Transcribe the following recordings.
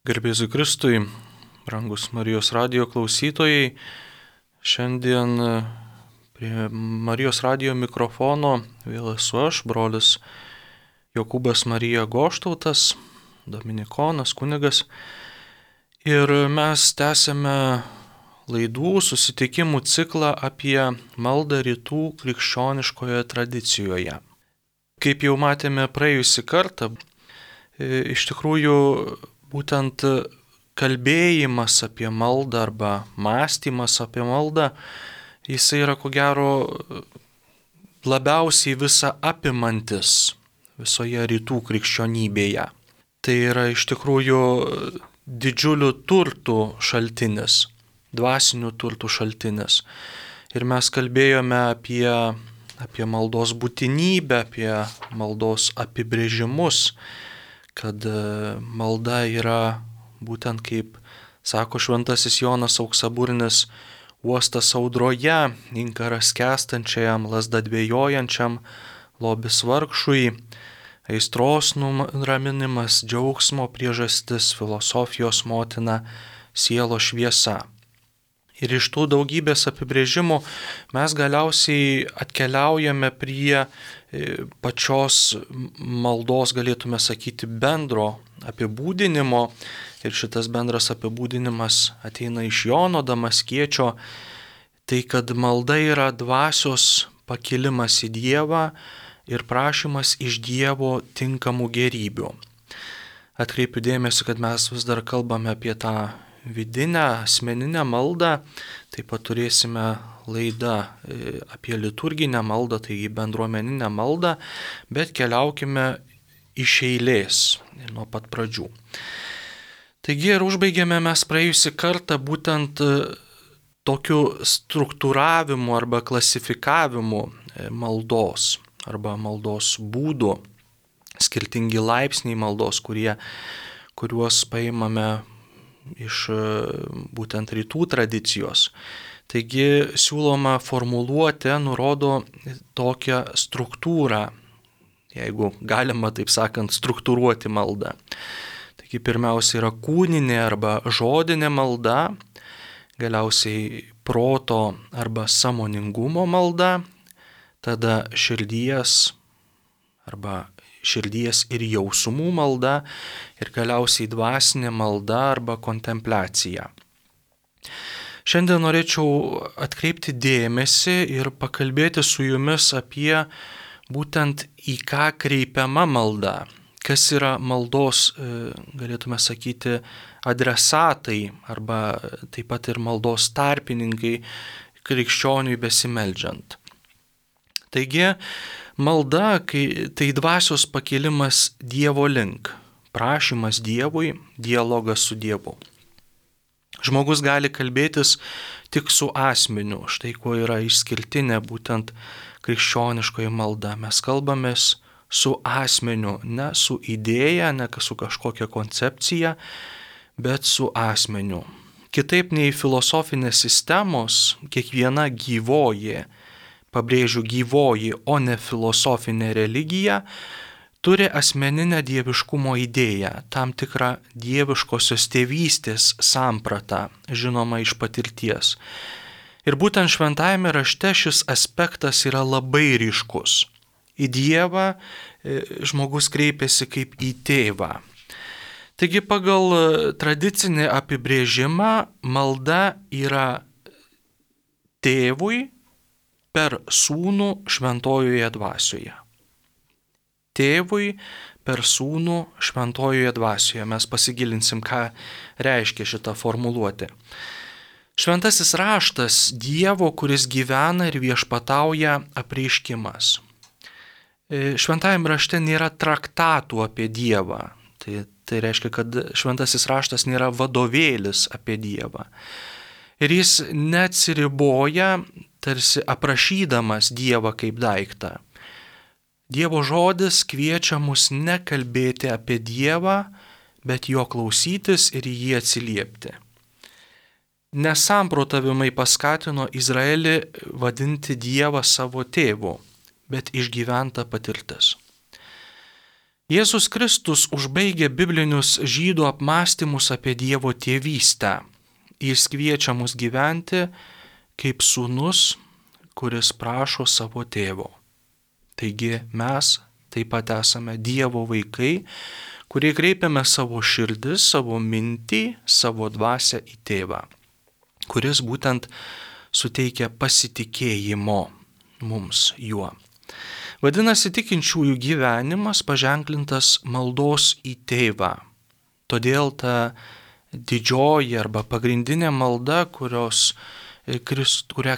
Garbėzu Kristui, brangus Marijos radijo klausytojai, šiandien prie Marijos radijo mikrofono vėl esu aš, brolis Jokūbas Marija Goštautas, dominikonas, kunigas, ir mes tęsiame laidų susitikimų ciklą apie maldą rytų krikščioniškoje tradicijoje. Kaip jau matėme praėjusį kartą, iš tikrųjų būtent kalbėjimas apie maldą arba mąstymas apie maldą, jisai yra ko gero labiausiai visa apimantis visoje rytų krikščionybėje. Tai yra iš tikrųjų didžiulių turtų šaltinis, dvasinių turtų šaltinis. Ir mes kalbėjome apie maldos būtinybę, apie maldos apibrėžimus, kad malda yra būtent kaip sako šventasis Jonas Auksaburnis, uostas audroje, inkaras skęstančiajam, lazda dvejojančiam, lobis vargšui, aistros nuraminimas, džiaugsmo priežastis, filosofijos motina, sielos šviesa. Ir iš tų daugybės apibrėžimų mes galiausiai atkeliaujame prie pačios maldos, galėtume sakyti, bendro apibūdinimo. Ir šitas bendras apibūdinimas ateina iš Jono Damaskiečio. Tai kad malda yra dvasios pakilimas į Dievą ir prašymas iš Dievo tinkamų gerybių. Atkreipiu dėmesį, kad mes vis dar kalbame apie tą vidinę, asmeninę maldą. Taip pat turėsime laidą apie liturginę maldą, taigi bendruomeninę maldą, bet keliaukime iš eilės nuo pat pradžių. Taigi ir užbaigėme mes praėjusį kartą būtent tokiu struktūravimu arba klasifikavimu maldos arba maldos būdų, skirtingi laipsniai maldos, kuriuos paimame iš būtent rytų tradicijos. Taigi siūloma formuluotė nurodo tokią struktūrą, jeigu galima taip sakant struktūruoti maldą. Taigi pirmiausia yra kūninė arba žodinė malda, galiausiai proto arba sąmoningumo malda, tada širdies ir jausmų malda ir galiausiai dvasinė malda arba kontempliacija. Šiandien norėčiau atkreipti dėmesį ir pakalbėti su jumis apie būtent į ką kreipiama malda, kas yra maldos, galėtume sakyti, adresatai arba taip pat ir maldos tarpininkai krikščioniui besimeldžiant. Taigi, malda, tai dvasios pakilimas Dievo link, prašymas Dievui, dialogas su Dievu. Žmogus gali kalbėtis tik su asmeniu, štai kuo yra išskirtinė būtent krikščioniškoji malda. Mes kalbamės su asmeniu, ne su idėja, ne su kažkokia koncepcija, bet su asmeniu. Kitaip nei filosofinės sistemos, kiekviena gyvoji, pabrėžiu gyvoji, o ne filosofinė religija, turi asmeninę dieviškumo idėją, tam tikrą dieviškosios tėvystės sampratą, žinoma iš patirties. Ir būtent šventajame rašte šis aspektas yra labai ryškus. Į Dievą žmogus kreipiasi kaip į tėvą. Taigi pagal tradicinį apibrėžimą malda yra tėvui per sūnų šventojoje dvasioje. Tėvui per sūnų šventojoje dvasioje. Mes pasigilinsim, ką reiškia šita formuluotė. Šventasis raštas Dievo, kuris gyvena ir viešpatauja apreiškimas. Šventajame rašte nėra traktatų apie Dievą. Tai reiškia, kad šventasis raštas nėra vadovėlis apie Dievą. Ir jis neatsiriboja tarsi aprašydamas Dievą kaip daiktą. Dievo žodis kviečia mus nekalbėti apie Dievą, bet jo klausytis ir į jį atsiliepti. Nesamprotavimai paskatino Izraelį vadinti Dievą savo tėvu, bet išgyventa patirtis. Jėzus Kristus užbaigia biblinius žydų apmąstymus apie Dievo tėvystę. Jis kviečia mus gyventi kaip sūnus, kuris prašo savo tėvo. Taigi mes taip pat esame Dievo vaikai, kurie kreipiame savo širdis, savo mintį, savo dvasią į tėvą, kuris būtent suteikia pasitikėjimo mums juo. Vadinasi, tikinčiųjų gyvenimas paženklintas maldos į tėvą. Todėl ta didžioji arba pagrindinė malda, kurią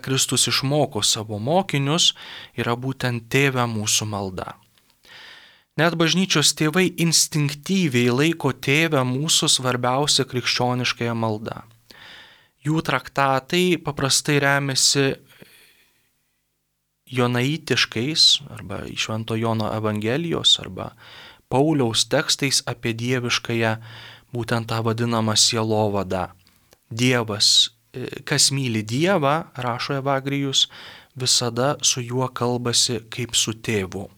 Kristus išmoko savo mokinius, yra būtent Tėve mūsų malda. Net bažnyčios tėvai instinktyviai laiko Tėvę mūsų svarbiausia krikščioniškąją maldą. Jų traktatai paprastai remiasi jonaitiškais arba Švento Jono Evangelijos arba Pauliaus tekstais apie dieviškąją, būtent tą vadinamą sielovadą. Dievas, kas myli Dievą, rašo Evagrijus, visada su juo kalbasi kaip su tėvu.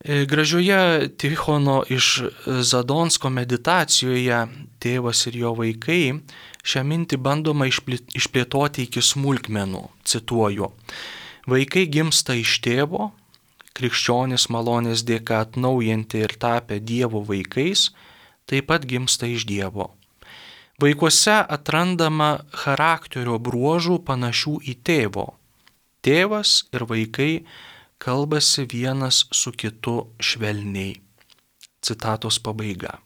Gražioje Tichono iš Zadonsko meditacijoje Tėvas ir jo vaikai šią mintį bandoma išplėtoti iki smulkmenų. Cituoju: vaikai gimsta iš tėvo, krikščionys malonės dėka atnaujinti ir tapę Dievo vaikais, taip pat gimsta iš Dievo. Vaikuose atrandama charakterio bruožų panašių į tėvo. Tėvas ir vaikai kalbasi vienas su kitu švelniai. Citatos pabaiga.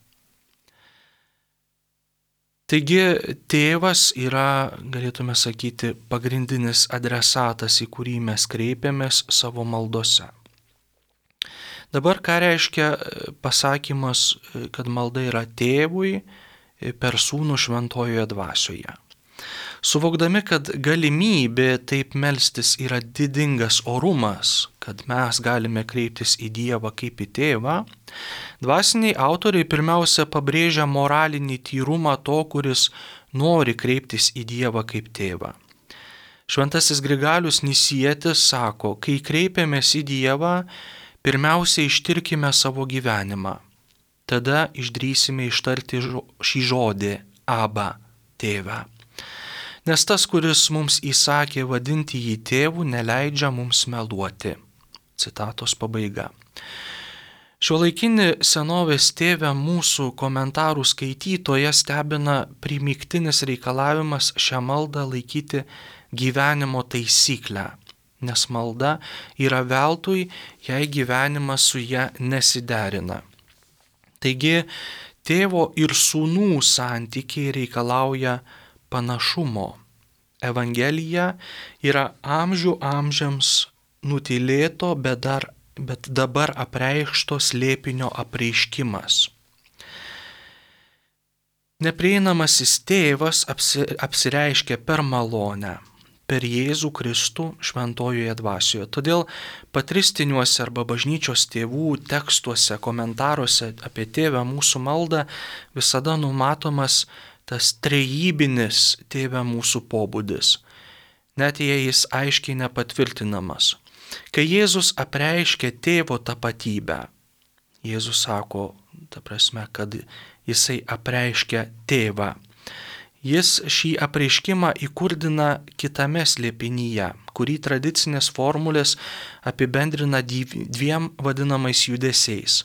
Taigi tėvas yra, galėtume sakyti, pagrindinis adresatas, į kurį mes kreipiamės savo maldose. Dabar ką reiškia pasakymas, kad malda yra tėvui per sūnų šventojoje dvasioje? Suvokdami, kad galimybė taip melstis yra didingas orumas, kad mes galime kreiptis į Dievą kaip į tėvą, dvasiniai autoriai pirmiausia pabrėžia moralinį tyrumą to, kuris nori kreiptis į Dievą kaip tėvą. Šventasis Grigalius Nisietis sako, kai kreipiamės į Dievą, pirmiausia ištirkime savo gyvenimą. Tada išdrįsime ištarti šį žodį Aba, tėve. Nes tas, kuris mums įsakė vadinti jį tėvu, neleidžia mums meluoti. Citatos pabaiga. Šiuolaikinį senovės tėvę mūsų komentarų skaitytoje stebina primygtinis reikalavimas šią maldą laikyti gyvenimo taisyklę, nes malda yra veltui, jei gyvenimas su ja nesiderina. Taigi, tėvo ir sūnų santykiai reikalauja panašumo. Evangelija yra amžių amžiams nutylėto, bet dabar apreikšto slėpinio apreiškimas. Neprieinamasis tėvas apsireiškia per malonę, per Jėzų Kristų šventojoje dvasioje. Todėl patristiniuose arba bažnyčios tėvų tekstuose, komentaruose apie Tėvę mūsų maldą visada numatomas tas trejybinis Tėve mūsų pobūdis, net jei jis aiškiai nepatvirtinamas. Kai Jėzus apreiškia tėvo tapatybę, Jėzus sako, ta prasme, kad jisai apreiškia tėvą. Jis šį apreiškimą įkurdina kitame slėpinyje, kurį tradicinės formulės apibendrina dviem vadinamais judesiais.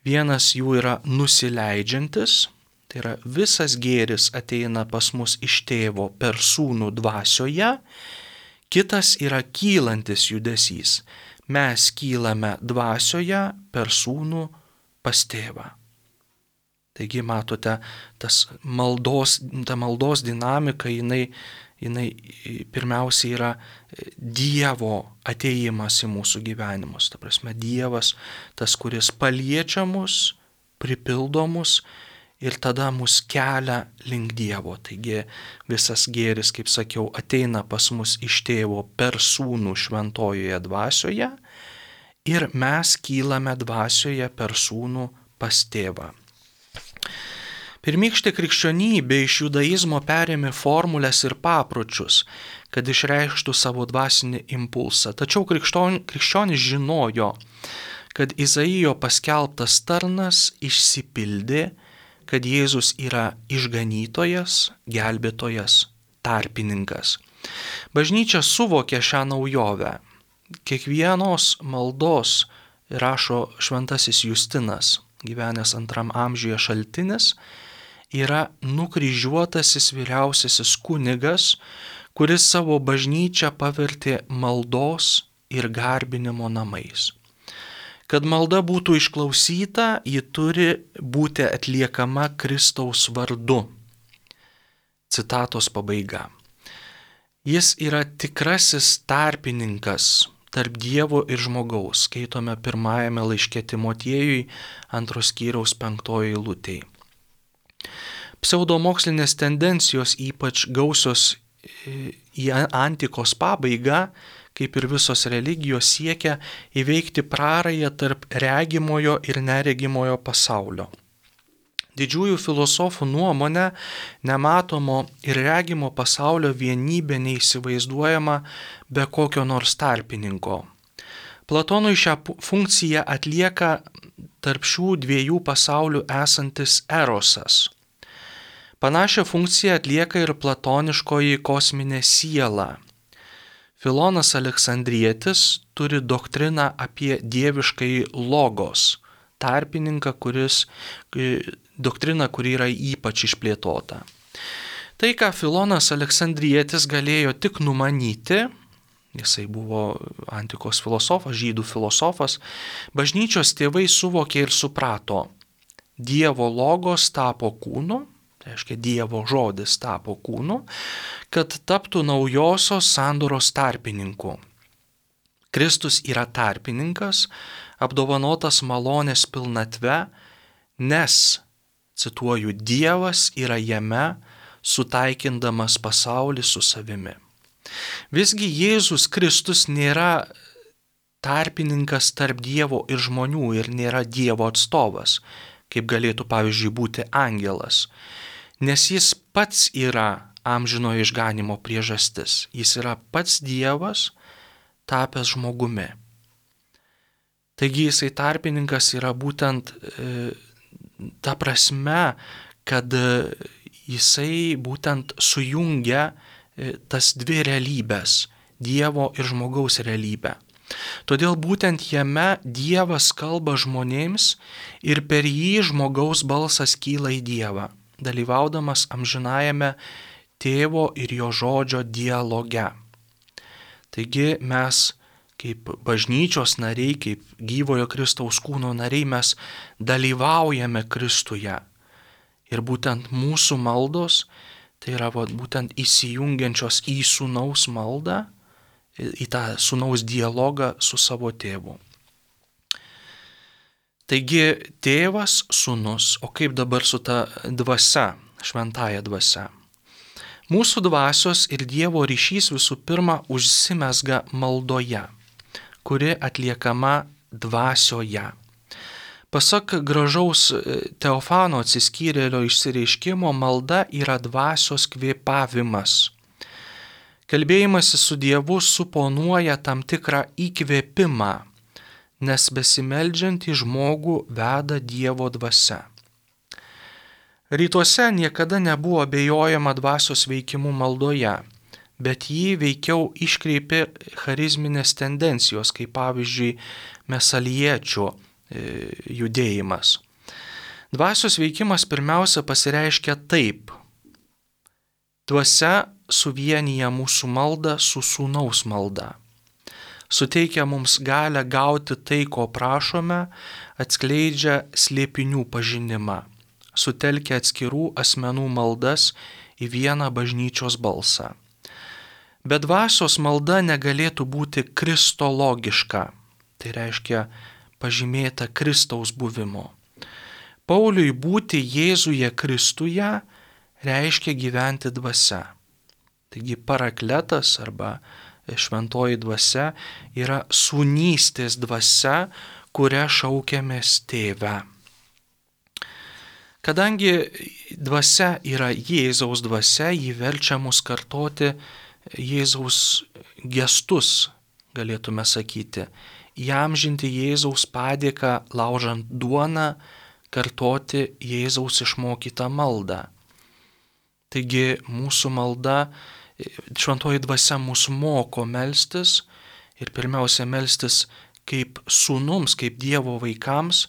Vienas jų yra nusileidžiantis, tai yra visas gėris ateina pas mus iš tėvo per sūnų dvasioje, kitas yra kylantis judesys. Mes kylame dvasioje per sūnų pas tėvą. Taigi matote, ta maldos dinamika, jinai pirmiausia yra Dievo atėjimas į mūsų gyvenimus. Ta prasme, Dievas, tas, kuris paliečia mus, pripildo mus ir tada mus kelia link Dievo. Taigi visas gėris, kaip sakiau, ateina pas mus iš tėvo per sūnų šventojoje dvasioje ir mes kylame dvasioje per sūnų pas tėvą. Pirmykštė krikščionybė iš judaizmo perėmė formulės ir papročius, kad išreikštų savo dvasinį impulsą. Tačiau krikščionis žinojo, kad Izaijo paskelbtas tarnas išsipildė, kad Jėzus yra išganytojas, gelbėtojas, tarpininkas. Bažnyčia suvokė šią naujovę. Kiekvienos maldos, rašo šventasis Justinas, gyvenęs 2 amžiuje šaltinis, yra nukryžiuotasis vyriausiasis kunigas, kuris savo bažnyčią pavertė maldos ir garbinimo namais. Kad malda būtų išklausyta, ji turi būti atliekama Kristaus vardu. Citatos pabaiga. Jis yra tikrasis tarpininkas tarp Dievo ir žmogaus, skaitome 1 laiške Timotiejui 2 skyriaus 5 eilutėje. Pseudomokslinės tendencijos, ypač gausios į antikos pabaigą, kaip ir visos religijos, siekia įveikti prarają tarp regimojo ir neregimojo pasaulio. Didžiųjų filosofų nuomonė, nematomo ir regimo pasaulio vienybė neįsivaizduojama be kokio nors tarpininko. Platonui šią funkciją atlieka tarp šių dviejų pasaulių esantis erosas. Panašią funkciją atlieka ir platoniškoji kosminė siela. Filonas Aleksandrietis turi doktriną apie dieviškąjį logos, tarpininką, doktrina, kuri yra ypač išplėtota. Tai, ką Filonas Aleksandrietis galėjo tik numanyti, jisai buvo antikos filosofas, žydų filosofas, bažnyčios tėvai suvokė ir suprato. Dievo logos tapo kūnu, tai reiškia Dievo žodis tapo kūnu, kad taptų naujosios sandoros tarpininku. Kristus yra tarpininkas, apdovanotas malonės pilnatve, nes, cituoju, Dievas yra jame, sutaikindamas pasaulį su savimi. Visgi Jėzus Kristus nėra tarpininkas tarp Dievo ir žmonių ir nėra Dievo atstovas, kaip galėtų, pavyzdžiui, būti angelas, nes jis pats yra amžinojo išganimo priežastis. Jis yra pats Dievas, tapęs žmogumi. Taigi jisai tarpininkas yra būtent ta prasme, kad jisai būtent sujungia tas dvi realybės – Dievo ir žmogaus realybę. Todėl būtent jame Dievas kalba žmonėms ir per jį žmogaus balsas kyla į Dievą, dalyvaudamas amžinajame Tėvo ir jo žodžio dialoge. Taigi mes kaip bažnyčios nariai, kaip gyvojo Kristaus kūno nariai, mes dalyvaujame Kristuje. Ir būtent mūsų maldos, tai yra būtent įsijungiančios į sūnaus maldą, į tą sūnaus dialogą su savo tėvu. Taigi tėvas, sūnus, o kaip dabar su ta dvasia, šventąja dvasia? Mūsų dvasios ir Dievo ryšys visų pirma užsimezga maldoje, kuri atliekama dvasioje. Pasak gražaus Teofano atsiskyrėlio išsireiškimo, malda yra dvasios kvėpavimas. Kalbėjimasis su Dievu suponuoja tam tikrą įkvėpimą, nes besimeldžiantį žmogų veda Dievo dvasia. Rytuose niekada nebuvo abejojama dvasios veikimu maldoje, bet jį veikiau iškreipė charizminės tendencijos, kaip pavyzdžiui mesaliečių judėjimas. Dvasios veikimas pirmiausia pasireiškia taip. Dvasia suvienyje mūsų maldą su sūnaus malda. Suteikia mums galę gauti tai, ko prašome, atskleidžia slėpinių pažinimą, sutelkia atskirų asmenų maldas į vieną bažnyčios balsą. Bet dvasios malda negalėtų būti kristologiška, tai reiškia pažymėta Kristaus buvimo. Pauliui būti Jėzuje Kristuje reiškia gyventi dvasia. Taigi parakletas arba šventoji dvasia yra sūnystės dvasia, kurią šaukiamės tėve. Kadangi dvasia yra Jėzaus dvasia, ji verčia mus kartoti Jėzaus gestus, galėtume sakyti, įamžinti Jėzaus padėką laužant duoną, kartoti Jėzaus išmokytą maldą. Taigi mūsų malda, šventoji dvasia mus moko melstis ir pirmiausia melstis kaip sūnums, kaip Dievo vaikams,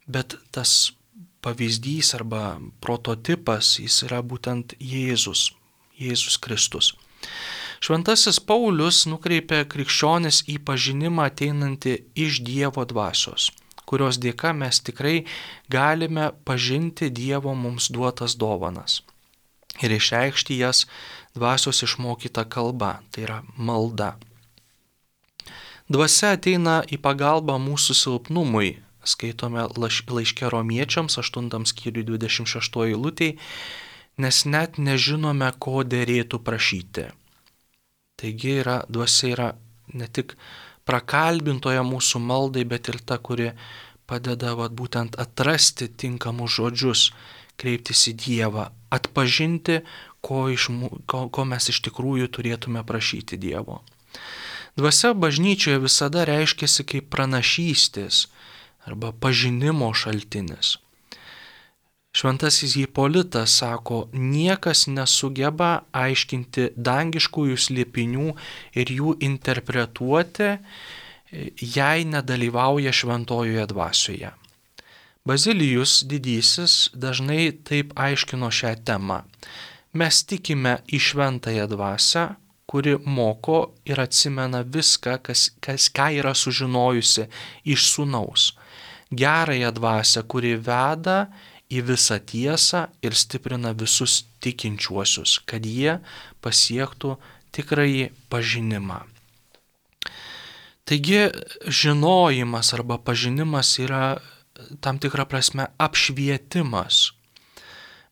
bet tas pavyzdys arba prototipas jis yra būtent Jėzus Kristus. Šventasis Paulius nukreipia krikščionis į pažinimą ateinantį iš Dievo dvasios, kurios dėka mes tikrai galime pažinti Dievo mums duotas dovanas ir išreikšti jas dvasios išmokyta kalba, tai yra malda. Dvasia ateina į pagalbą mūsų silpnumui, skaitome laiške Romiečiams 8 skyriui 26 eilutėj, nes net nežinome, ko derėtų prašyti. Taigi dvasia yra ne tik prakalbintoja mūsų maldai, bet ir ta, kuri padeda būtent atrasti tinkamus žodžius, kreiptis į Dievą, atpažinti, ko mes iš tikrųjų turėtume prašyti Dievo. Dvasia bažnyčioje visada reiškiasi kaip pranašystės arba pažinimo šaltinis. Šventasis Hipolitas sako, niekas nesugeba aiškinti dangiškųjų slėpinių ir jų interpretuoti, jei nedalyvauja šventojoje dvasioje. Bazilijus didysis dažnai taip aiškino šią temą. Mes tikime į šventąją dvasią, kuri moko ir atsimena viską, ką yra sužinojusi iš sūnaus. Gerąją dvasią, kuri veda į visą tiesą ir stiprina visus tikinčiuosius, kad jie pasiektų tikrąjį pažinimą. Taigi žinojimas arba pažinimas yra tam tikrą prasme apšvietimas.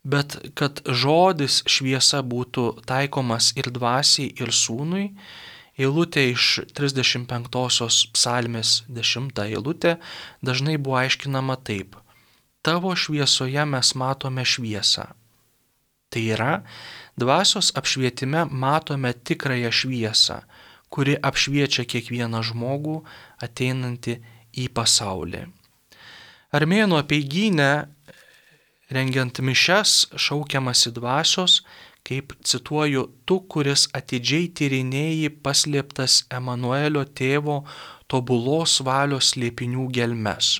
Bet kad žodis šviesa būtų taikomas ir dvasiai, ir sūnui, eilutė iš 35 psalmės 10 eilutė dažnai buvo aiškinama taip. Tavo šviesoje mes matome šviesą. Tai yra, dvasios apšvietime matome tikrąją šviesą, kuri apšviečia kiekvieną žmogų ateinantį į pasaulį. Armėnų apeigyne rengiant mišias šaukiamasi dvasios, kaip cituoju, tu, kuris atidžiai tyrinėji paslėptas Emanuelio tėvo tobulos valios slėpinių gelmes.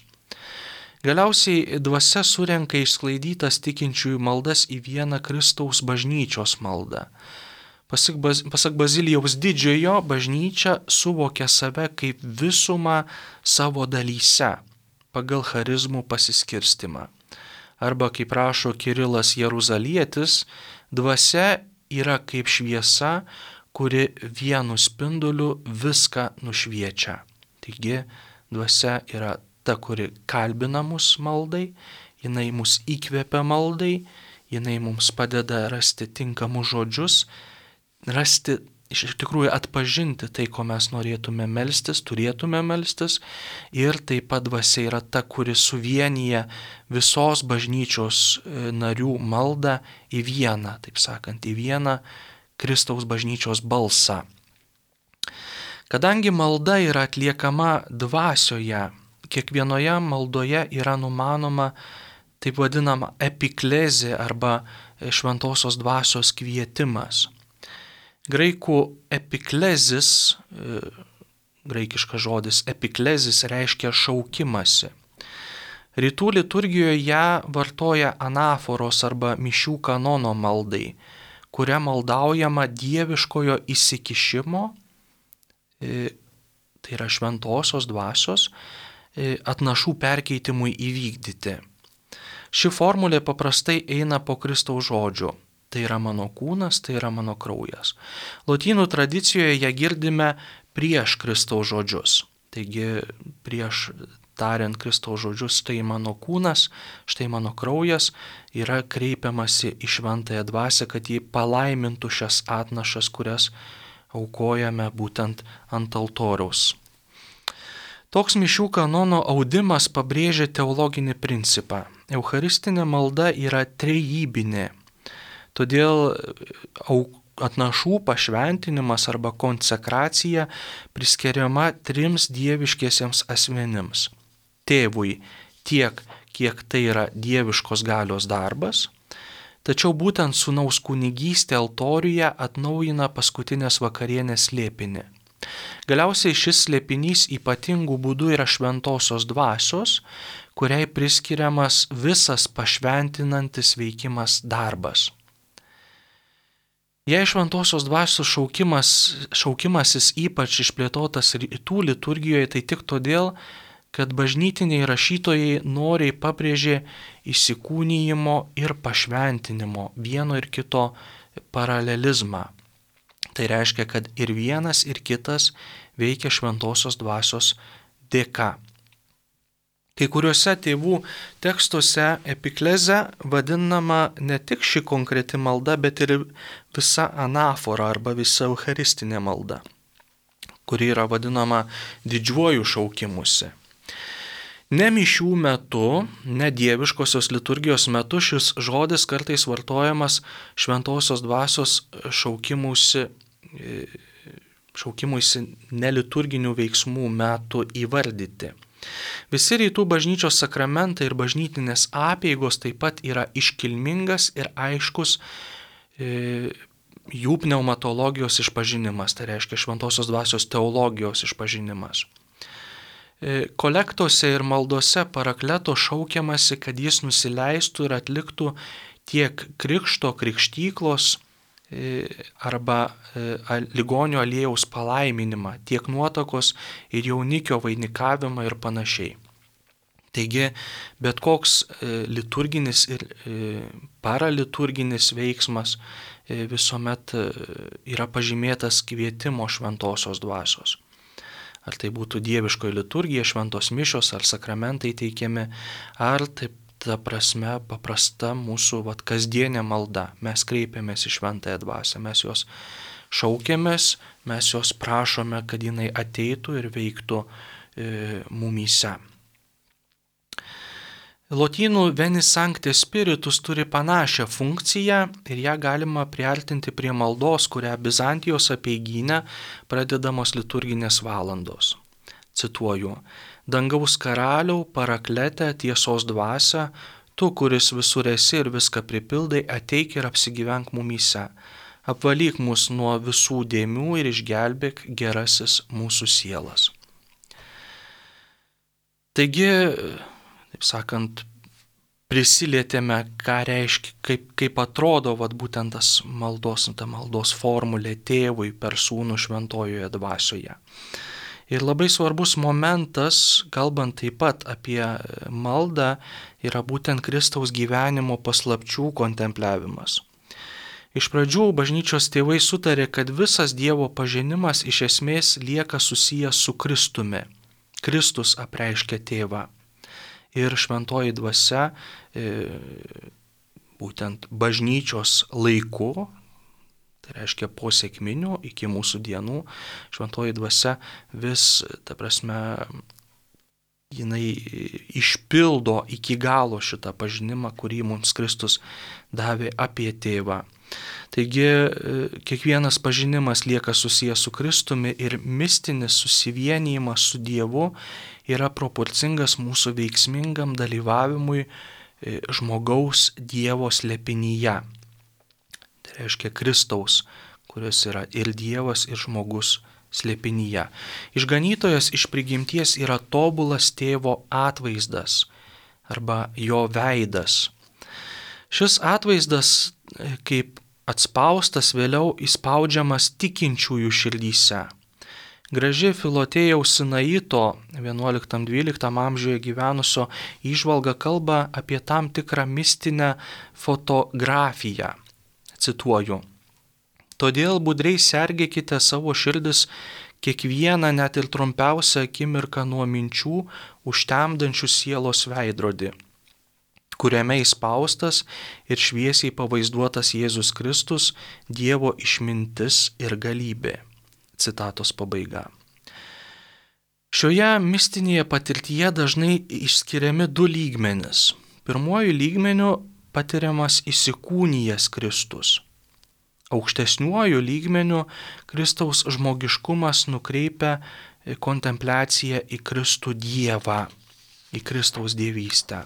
Galiausiai dvasia surenka išsklaidytas tikinčiųjų maldas į vieną Kristaus bažnyčios maldą. Pasak Bazilijaus didžiojo, bažnyčia suvokia save kaip visumą savo dalyse pagal charizmų pasiskirstimą. Arba, kaip rašo Kirilas Jeruzalietis, dvasia yra kaip šviesa, kuri vienu spinduliu viską nušviečia. Taigi, dvasia yra ta, kuri kalbina mus maldai, jinai mus įkvepia maldai, jinai mums padeda rasti tinkamus žodžius, iš tikrųjų atpažinti tai, ko mes norėtume melstis, turėtume melstis, ir taip pat dvasia yra ta, kuri suvienyje visos bažnyčios narių maldą į vieną, taip sakant, į vieną Kristaus bažnyčios balsą. Kadangi malda yra atliekama dvasioje, kiekvienoje maldoje yra numanoma taip vadinama epiklezė arba šventosios dvasios kvietimas. Graikų epiklezis, graikiškas žodis epiklezis reiškia šaukimasi. Rytų liturgijoje ją vartoja anaforos arba mišių kanono maldai, kuria maldaujama dieviškojo įsikišimo, tai yra šventosios dvasios, atnašų perkeitimui įvykdyti. Ši formulė paprastai eina po Kristaus žodžių. Tai yra mano kūnas, tai yra mano kraujas. Lotynų tradicijoje ją girdime prieš Kristaus žodžius. Taigi prieš tariant Kristaus žodžius, štai mano kūnas, štai mano kraujas, yra kreipiamasi į šventąją dvasią, kad ji palaimintų šias atnašas, kurias aukojame būtent ant altoriaus. Toks mišių kanono audimas pabrėžia teologinį principą. Eucharistinė malda yra trejybinė. Todėl atnašų pašventinimas arba konsekracija priskiriama 3 dieviškiesiems asmenims. Tėvui tiek, kiek tai yra dieviškos galios darbas, tačiau būtent sūnaus kunigystė altoriuje atnaujina paskutinės vakarienės slėpinį. Galiausiai šis slėpinys ypatingų būdų yra šventosios dvasios, kuriai priskiriamas visas pašventinantis veikimas darbas. Jei šventosios dvasios šaukimasis ypač išplėtotas rytų liturgijoje, tai tik todėl, kad bažnytiniai rašytojai noriai pabrėžė įsikūnijimo ir pašventinimo vieno ir kito paralelizmą. Tai reiškia, kad ir vienas, ir kitas veikia šventosios dvasios dėka. Kai kuriuose tėvų tekstuose epiklezė vadinama ne tik ši konkreti malda, bet ir visa anafora arba visa eucharistinė malda, kuri yra vadinama didžiuoju šaukimusi. Ne mišių metu, ne dieviškosios liturgijos metu šis žodis kartais vartojamas šventosios dvasios šaukimuisi neliturginių veiksmų metu įvardyti. Visi rytų bažnyčios sakramentai ir bažnytinės apeigos taip pat yra iškilmingas ir aiškus jų pneumatologijos išpažinimas, tai reiškia šventosios dvasios teologijos išpažinimas. Kolektose ir maldose parakleto šaukiamasi, kad jis nusileistų ir atliktų tiek krikšto krikštyklos arba ligonio aliejaus palaiminimą, tiek nuotakos ir jaunikio vainikavimą ir panašiai. Taigi, bet koks liturginis ir paraliturginis veiksmas visuomet yra pažymėtas kvietimo šventosios dvasios. Ar tai būtų dieviškoji liturgija, šventos mišios, ar sakramentai teikiami, ar taip ta prasme paprasta mūsų kasdienė malda. Mes kreipiamės į šventąją dvasią, mes jos šaukiamės, mes jos prašome, kad jinai ateitų ir veiktų mumyse. Lotynų Veni Sancte Spiritus turi panašią funkciją ir ją galima priartinti prie maldos, kurią Bizantijos apeigyne pradedamos liturginės valandos. Cituoju: Dangaus karaliau, paraklete, tiesos dvasia, tu, kuris visur esi ir viską pripildai, ateik ir apsigyvenk mumyse. Apvalyk mus nuo visų dėmių ir išgelbėk gerasis mūsų sielas. Taigi, taip sakant, prisilietėme, ką reiškia, kaip atrodo būtent ta maldos formulė tėvui per sūnų šventojoje dvasioje. Ir labai svarbus momentas, kalbant taip pat apie maldą, yra būtent Kristaus gyvenimo paslapčių kontempliavimas. Iš pradžių bažnyčios tėvai sutarė, kad visas Dievo pažinimas iš esmės lieka susijęs su Kristumi. Kristus apreiškia tėvą. Ir šventoji dvasia, būtent bažnyčios laiku, tai reiškia po sekminių iki mūsų dienų, šventoji dvasia vis, ta prasme, jinai išpildo iki galo šitą pažinimą, kurį mums Kristus davė apie tėvą. Taigi, kiekvienas pažinimas lieka susijęs su Kristumi ir mistinis susivienijimas su Dievu yra proporcingas mūsų veiksmingam dalyvavimui žmogaus Dievo slėpinyje. Tai reiškia Kristaus, kuris yra ir Dievas, ir žmogus slėpinyje. Išganytojas iš prigimties yra tobulas tėvo atvaizdas arba jo veidas. Šis atvaizdas kaip atspaustas vėliau įspaudžiamas tikinčiųjų širdyse. Graži Filotėjaus Sinaito 11-12 amžiuje gyvenusio įžvalga kalba apie tam tikrą mistinę fotografiją. Cituoju: Todėl budriai sergėkite savo širdis kiekvieną net ir trumpiausią akimirką nuo minčių užtemdančių sielos veidrodį, kuriame įspaustas ir šviesiai pavaizduotas Jėzus Kristus, Dievo išmintis ir galybė. Citatos pabaiga. Šioje mistinėje patirtyje dažnai išskiriami 2 lygmenis. Pirmuoju lygmeniu patiriamas įsikūnijęs Kristus. Aukštesniuoju lygmeniu Kristaus žmogiškumas nukreipia kontempliaciją į Kristų Dievą, į Kristaus dievystę.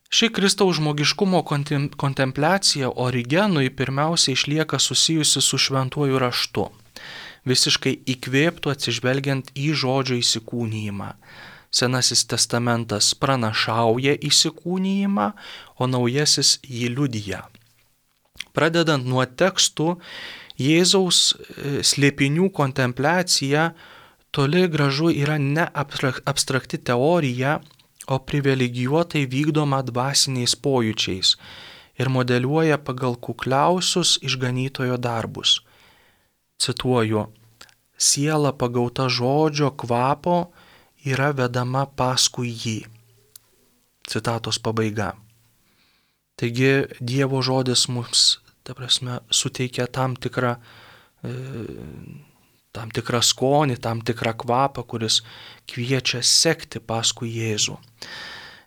Ši Kristaus žmogiškumo kontempliacija Origenui pirmiausia išlieka susijusi su šventuoju raštu, visiškai įkvėptų atsižvelgiant į žodžio įsikūnijimą. Senasis testamentas pranašauja įsikūnijimą, o naujasis jį liudija. Pradedant nuo tekstų, Jėzaus slėpinių kontempliacija toli gražu yra ne abstrakti teorija, o privilegijuotai vykdoma dvasiniais pojūčiais ir modeliuoja pagal kukliausius išganytojo darbus. Cituoju, siela pagauta žodžio kvapo yra vedama paskui jį. Citatos pabaiga. Taigi Dievo žodis mums, suteikia tam tikrą skonį, tam tikrą kvapą, kuris kviečia sekti paskui Jėzų.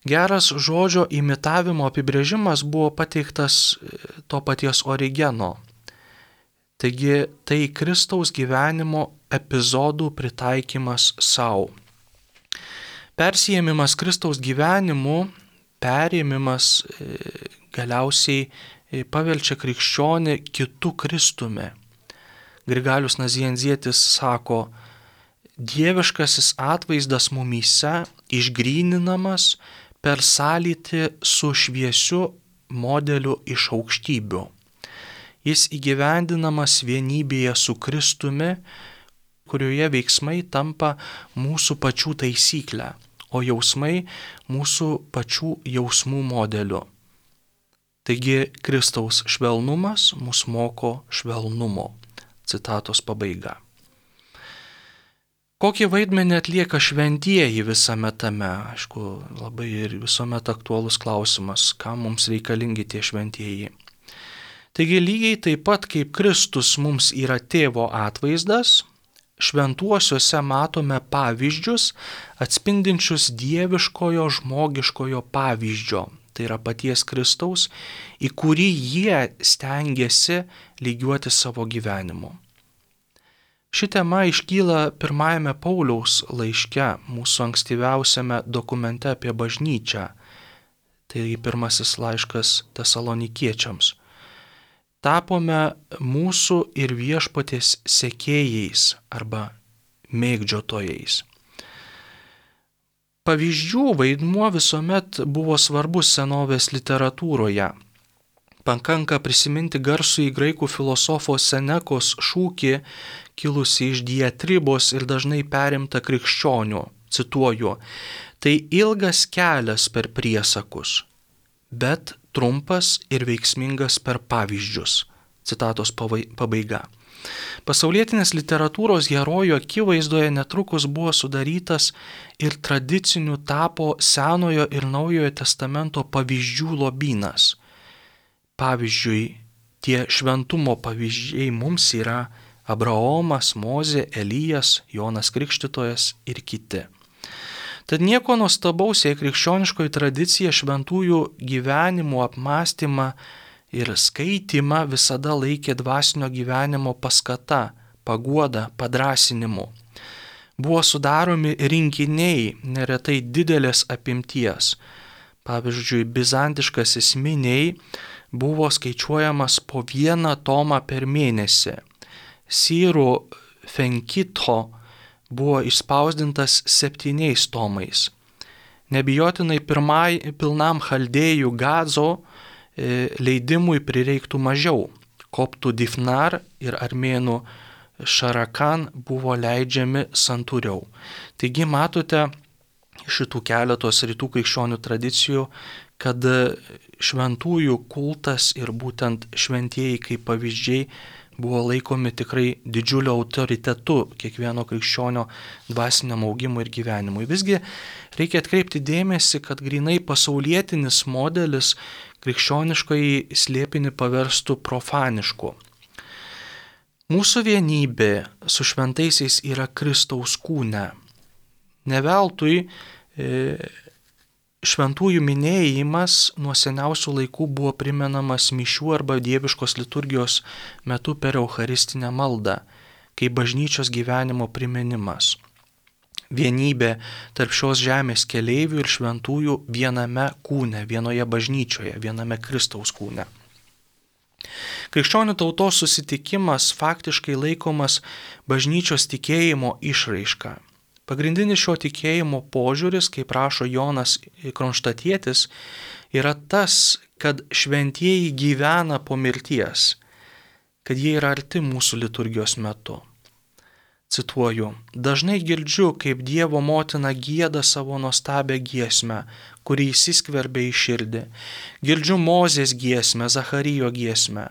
Geras žodžio imitavimo apibrėžimas buvo pateiktas to paties Origeno. Taigi tai Kristaus gyvenimo epizodų pritaikymas savo. Persijėmimas Kristaus gyvenimu, perėmimas galiausiai paverčia krikščionį kitu Kristumi. Grigalius Nazianzietis sako, dieviškasis atvaizdas mumyse išgryninamas per sąlytį su šviesiu modeliu iš aukštybių. Jis įgyvendinamas vienybėje su Kristumi, kurioje veiksmai tampa mūsų pačių taisyklę, o jausmai mūsų pačių jausmų modeliu. Taigi Kristaus švelnumas mus moko švelnumo. Citatos pabaiga. Kokį vaidmenį atlieka šventieji visame tame? Aišku, labai ir visuomet aktualus klausimas, kam mums reikalingi tie šventieji. Taigi lygiai taip pat kaip Kristus mums yra tėvo atvaizdas, šventuosiuose matome pavyzdžius atspindinčius dieviškojo žmogiškojo pavyzdžio. Tai yra paties Kristaus, į kurį jie stengiasi lygiuoti savo gyvenimu. Ši tema iškyla pirmajame Pauliaus laiške, mūsų ankstyviausiame dokumente apie bažnyčią. Tai pirmasis laiškas Tesalonikiečiams. Tapome mūsų ir viešpaties sekėjais arba mėgdžiotojais. Pavyzdžių vaidmuo visuomet buvo svarbus senovės literatūroje. Pakanka prisiminti garsųjį graikų filosofo Senekos šūkį, kilusi iš diatribos ir dažnai perimta krikščionių. Cituoju, tai ilgas kelias per priesakus, bet trumpas ir veiksmingas per pavyzdžius. Citatos pabaiga. Pasaulietinės literatūros herojų akivaizdoje netrukus buvo sudarytas ir tradicinių tapo Senojo ir Naujojo testamento pavyzdžių lobynas. Pavyzdžiui, tie šventumo pavyzdžiai mums yra Abraomas, Mozė, Elijas, Jonas Krikštytojas ir kiti. Tad nieko nuostabaus, jei krikščioniškoji tradicija šventųjų gyvenimų apmąstymą ir skaitimą visada laikė dvasinio gyvenimo paskata, paguoda, padrąsinimu. Buvo sudaromi rinkiniai, neretai didelės apimties. Pavyzdžiui, bizantiškasis miniai buvo skaičiuojamas po 1 tomą per mėnesį. Sirų Fenkito buvo išspausdintas 7 tomais. Nebijotinai pilnam chaldėjų Gazo leidimui prireiktų mažiau. Koptų Difnar ir armėnų Šarakan buvo leidžiami santūriau. Taigi matote šitų keletos rytų krikščionių tradicijų, kad šventųjų kultas ir būtent šventieji kaip pavyzdžiai buvo laikomi tikrai didžiuliu autoritetu kiekvieno krikščionio dvasiniam augimui ir gyvenimui. Visgi reikia atkreipti dėmesį, kad grinai pasaulietinis modelis krikščioniškai slėpinį paverstų profanišku. Mūsų vienybė su šventaisiais yra Kristaus kūne. Ne veltui šventųjų minėjimas nuo seniausių laikų buvo primenamas mišių arba dieviškos liturgijos metu per eucharistinę maldą, kaip bažnyčios gyvenimo priminimas. Vienybė tarp šios žemės keleivių ir šventųjų viename kūne, vienoje bažnyčioje, viename Kristaus kūne. Krikščionių tautos susitikimas faktiškai laikomas bažnyčios tikėjimo išraiška. Pagrindinis šio tikėjimo požiūris, kaip rašo Jonas Kronštatietis, yra tas, kad šventieji gyvena po mirties, kad jie yra arti mūsų liturgijos metu. Cituoju, dažnai girdžiu, kaip Dievo motina gieda savo nuostabią giesmę, kuri įsiskverbia į širdį. Girdžiu Mozės giesmę, Zacharijo giesmę.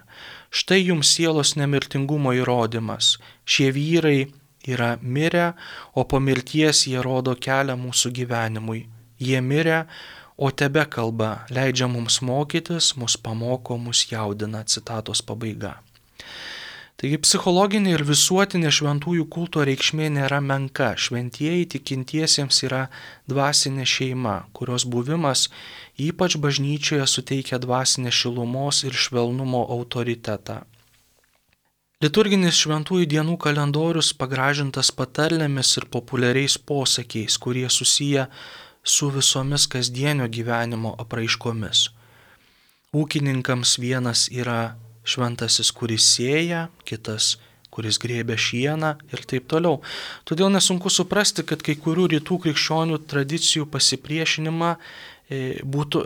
Štai jums sielos nemirtingumo įrodymas. Šie vyrai yra mirę, o po mirties jie rodo kelią mūsų gyvenimui. Jie mirę, o tebe kalba, leidžia mums mokytis, mus pamoko, mus jaudina. Citatos pabaiga. Taigi psichologinė ir visuotinė šventųjų kulto reikšmė nėra menka. Šventieji tikintiesiems yra dvasinė šeima, kurios buvimas ypač bažnyčioje suteikia dvasinės šilumos ir švelnumo autoritetą. Liturginis šventųjų dienų kalendorius pagražintas patarlėmis ir populiariais posakiais, kurie susiję su visomis kasdienio gyvenimo apraiškomis. Ūkininkams vienas yra šventasis, kuris sėja, kitas, kuris grėbia šieną ir taip toliau. Todėl nesunku suprasti, kad kai kurių rytų krikščionių tradicijų pasipriešinimą būtų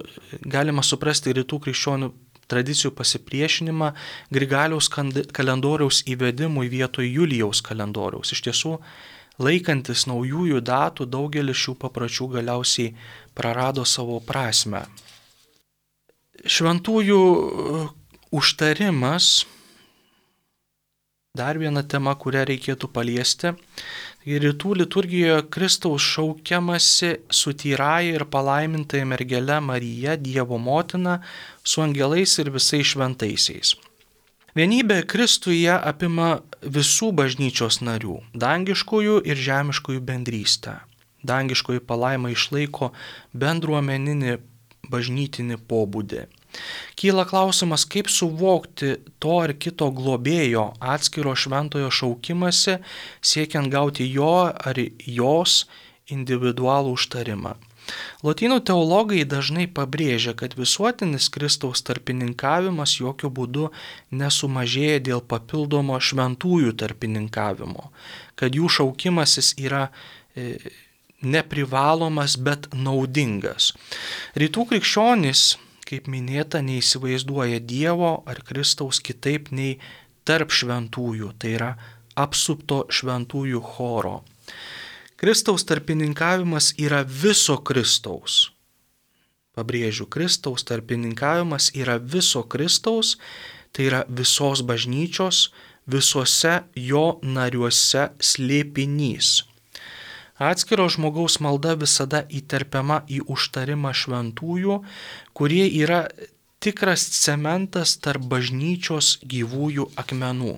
galima suprasti rytų krikščionių tradicijų pasipriešinimą Grigaliaus kalendoriaus įvedimui vietoj Julijaus kalendoriaus. Iš tiesų, laikantis naujųjų datų, daugelis šių papročių galiausiai prarado savo prasmę. Šventųjų užtarimas, dar viena tema, kurią reikėtų paliesti. Rytų liturgijoje Kristaus šaukiamasi su tyrąja ir palaimintaja mergele Marija, Dievo motina, su angelais ir visais šventaisiais. Vienybė Kristuje apima visų bažnyčios narių, dangiškųjų ir žemiškųjų bendrystę. Dangiškoji palaima išlaiko bendruomeninį bažnytinį pobūdį. Kyla klausimas, kaip suvokti to ar kito globėjo atskiro šventojo šaukimąsi, siekiant gauti jo ar jos individualų užtarimą. Lotynų teologai dažnai pabrėžia, kad visuotinis Kristaus tarpininkavimas jokių būdų nesumažėja dėl papildomo šventųjų tarpininkavimo, kad jų šaukimasis yra neprivalomas, bet naudingas. Rytų krikščionys, kaip minėta, neįsivaizduoja Dievo ar Kristaus kitaip nei tarp šventųjų, tai yra apsupto šventųjų choro. Kristaus tarpininkavimas yra viso Kristaus. Pabrėžiu, Kristaus tarpininkavimas yra viso Kristaus, tai yra visos bažnyčios, visuose jo nariuose slėpinys. Atskiro žmogaus malda visada įterpiama į užtarimą šventųjų, kurie yra tikras cementas tarp bažnyčios gyvųjų akmenų.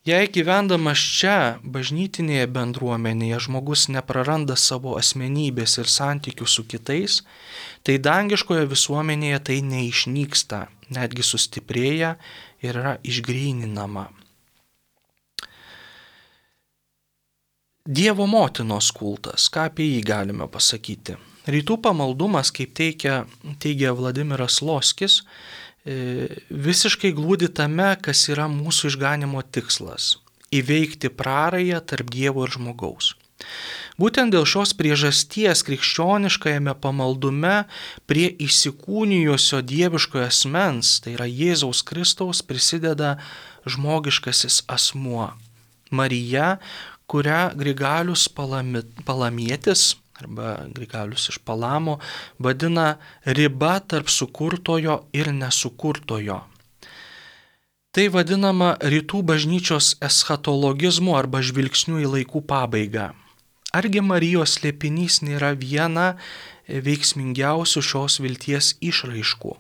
Jei gyvendamas čia, bažnytinėje bendruomenėje, žmogus nepraranda savo asmenybės ir santykių su kitais, tai dangiškoje visuomenėje tai neišnyksta, netgi sustiprėja ir yra išgryninama. Dievo motinos kultas, ką apie jį galime pasakyti? Rytų pamaldumas, kaip teigia Vladimiras Loskis, visiškai glūdi tame, kas yra mūsų išganimo tikslas – įveikti prarają tarp Dievo ir žmogaus. Būtent dėl šios priežasties krikščioniškajame pamaldume prie įsikūnijusio dieviškojo asmens, tai yra Jėzaus Kristaus, prisideda žmogiškasis asmuo – Marija, kurią Grigalius Palamietis arba Grigalius iš Palamo vadina riba tarp sukurtojo ir nesukurtojo. Tai vadinama rytų bažnyčios eschatologizmu arba žvilgsniu į laikų pabaigą. Argi Marijos slėpinys nėra viena veiksmingiausių šios vilties išraiškų?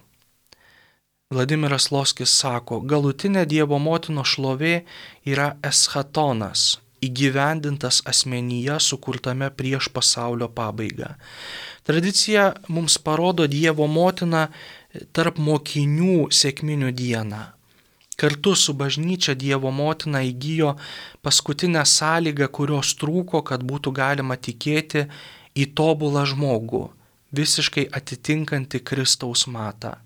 Vladimiras Loskis sako, galutinė Dievo motinos šlovė yra eschatonas, įgyvendintas asmenyje sukurtame prieš pasaulio pabaigą. Tradicija mums parodo Dievo motiną tarp mokinių sekminių dieną. Kartu su bažnyčia Dievo motina įgijo paskutinę sąlygą, kurios trūko, kad būtų galima tikėti į tobulą žmogų, visiškai atitinkantį Kristaus matą.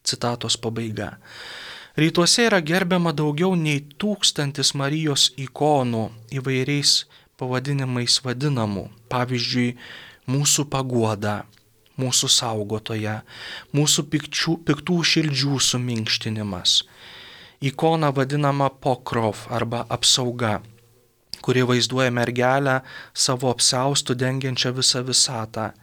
Citatos pabaiga. Rytuose yra gerbiama daugiau nei 1000 Marijos ikonų įvairiais pavadinimais vadinamų. Pavyzdžiui, mūsų paguoda, mūsų saugotoja, mūsų piktų širdžių suminkštinimas. Ikona vadinama pokrov arba apsauga, kuri vaizduoja mergelę savo apsiaustų dengiančią visą visatą.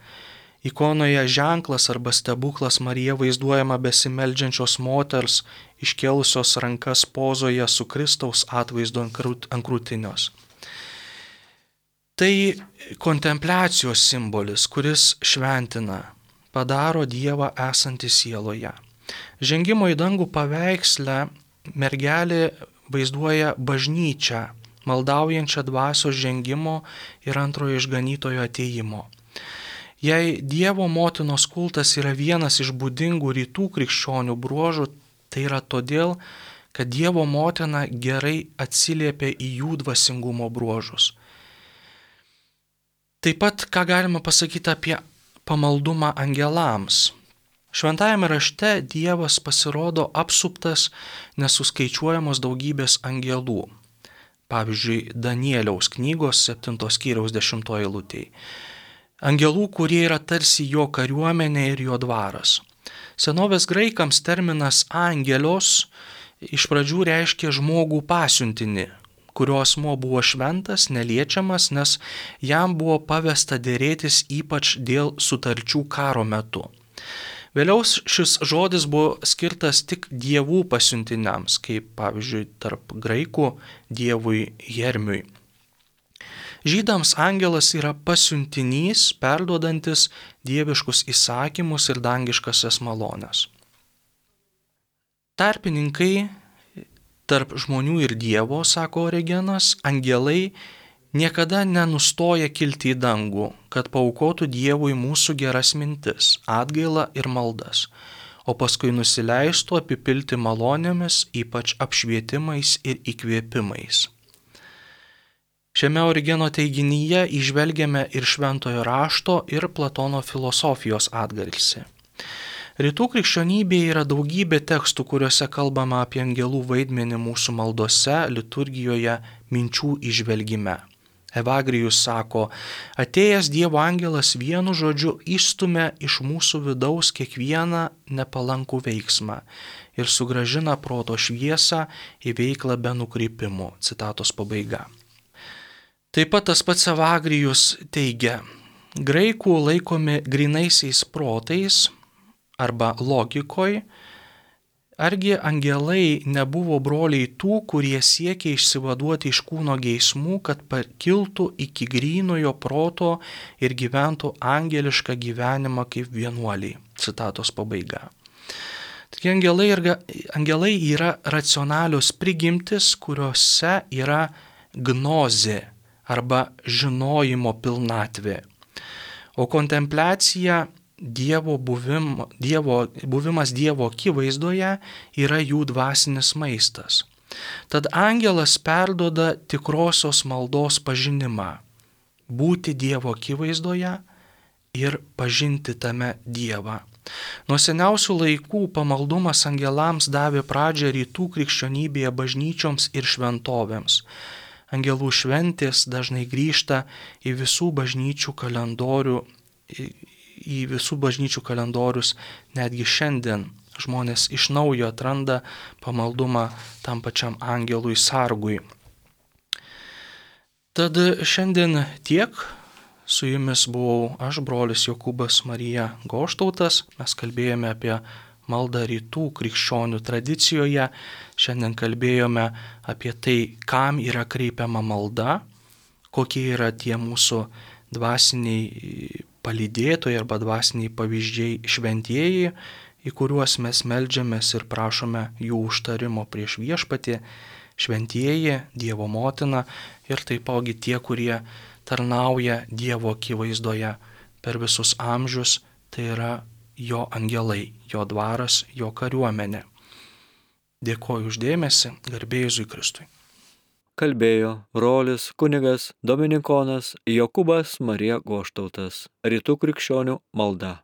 Ikonoje ženklas arba stebuklas Marija vaizduojama besimeldžiančios moters, iškėlusios rankas pozoje su Kristaus atvaizdu ant krūtinės. Tai kontempliacijos simbolis, kuris šventina, padaro Dievą esantį sieloje. Žengimo į dangų paveiksle mergelė vaizduoja bažnyčią, maldaujančią dvasios žengimo ir antrojo išganytojo atėjimo. Jei Dievo motinos kultas yra vienas iš būdingų rytų krikščionių bruožų, tai yra todėl, kad Dievo motina gerai atsiliepia į jų dvasingumo bruožus. Taip pat, ką galima pasakyti apie pamaldumą angelams. Šventajame rašte Dievas pasirodo apsuptas nesuskaičiuojamos daugybės angelų. Pavyzdžiui, Danieliaus knygos 7 skyriaus 10 eilutėje. Angelų, kurie yra tarsi jo kariuomenė ir jo dvaras. Senovės graikams terminas angelios iš pradžių reiškia žmogų pasiuntinį, kurio asmuo buvo šventas, neliečiamas, nes jam buvo pavesta dėrėtis ypač dėl sutarčių karo metu. Vėliau šis žodis buvo skirtas tik dievų pasiuntiniams, kaip pavyzdžiui tarp graikų dievui Hermiui. Žydams angelas yra pasiuntinys, perduodantis dieviškus įsakymus ir dangiškasias malones. Tarpininkai tarp žmonių ir Dievo, sako Origenas, angelai niekada nenustoja kilti į dangų, kad paaukotų Dievui mūsų geras mintis, atgailą ir maldas, o paskui nusileistų apipilti malonėmis, ypač apšvietimais ir įkvėpimais. Šiame Origeno teiginyje įžvelgiame ir šventojo rašto ir Platono filosofijos atgarsį. Rytų krikščionybėje yra daugybė tekstų, kuriuose kalbama apie angelų vaidmenį mūsų maldose, liturgijoje, minčių įžvelgime. Evagrijus sako, atėjęs Dievo angelas vienu žodžiu išstumia iš mūsų vidaus kiekvieną nepalankų veiksmą ir sugrąžina proto šviesą į veiklą be nukrypimų. Citatos pabaiga. Taip pat tas pats Evagrijus teigia, graikų laikomi grynaisiais protais arba logikoj, argi angelai nebuvo broliai tų, kurie siekia išsivaduoti iš kūno geismų, kad pakiltų iki grynojo proto ir gyventų angelišką gyvenimą kaip vienuoliai. Citatos pabaiga. Taigi angelai yra racionalios prigimtis, kuriuose yra gnozė arba žinojimo pilnatvė. O kontempliacija, buvimas Dievo akivaizdoje yra jų dvasinis maistas. Tad angelas perduoda tikrosios maldos pažinimą, būti Dievo akivaizdoje ir pažinti tame Dievą. Nuo seniausių laikų pamaldumas angelams davė pradžią rytų krikščionybėje bažnyčioms ir šventovėms. Angelų šventės dažnai grįžta į visų bažnyčių kalendorius, netgi šiandien žmonės iš naujo atranda pamaldumą tam pačiam angelui sargui. Tad šiandien tiek. Su jumis buvau aš, brolis Jokūbas Marija Goštautas. Mes kalbėjome apie maldą rytų krikščionių tradicijoje. Šiandien kalbėjome apie tai, kam yra kreipiama malda, kokie yra tie mūsų dvasiniai palydėtojai arba dvasiniai pavyzdžiai šventieji, į kuriuos mes meldžiamės ir prašome jų užtarimo prieš viešpatį. šventieji, Dievo motina ir taipogi tie, kurie tarnauja Dievo akivaizdoje per visus amžius, tai yra jo angelai, jo dvaras, jo kariuomenė. Dėkoju uždėmesi, garbė Jėzui Kristui. Kalbėjo brolis kunigas dominikonas Jokūbas Marija Goštautas. Rytų krikščionių malda.